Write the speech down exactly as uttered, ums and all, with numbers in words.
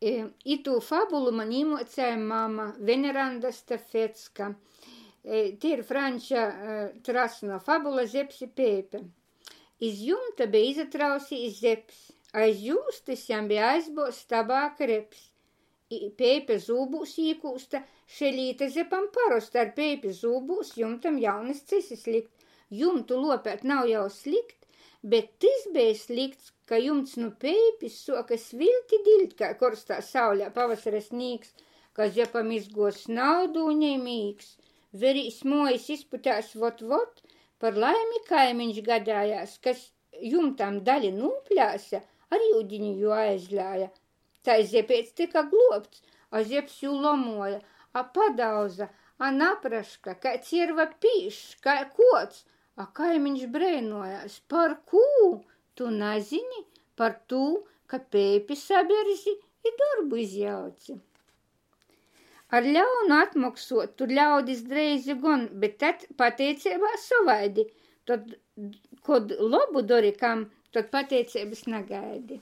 Itū fabulu man īmuocēja mama Veneranda Stafecka. Tei ir Fraņča Trasuna fabula Zeps i peipe. Iz jumta beja izatrausejs Zeps, aiz jūstys jam beja aizbuozts tabāka reps. I peipe zūbūs īkūsta, šei līta Zepam parosta ar peipi zūbūs jumtam jaunys cysys likt. Jumtu luopēt nav jau slikt, bet tys beja slikts, ka jumts nu peipis suoka sviļt i diļt kai korstā saulē pavasara snīgs, ka Zepam izguoja snaudūne i mīgs. Verīs, muojis izputēs vot-vot, par laimi kaimiņš gadējās, kas jumtam dali nūplēse, ar iudini jū aizlēja. Tai Zepeits tyka gluobts, a Zeps jū lomuoja, a padauza, a napraška, kai cierva pīšs, kai kuots. A kaimiņš breinuojās, par kū? Tu nazini? Par tū, ka peipi saberzi i dorbu izjauci. Ar ļaunu atmoksuot tu ļaudis dreizi gon, bet tad pateiceibā sovaidi. Tod, kod lobu dori kam, tod pateiceibys nagaidi.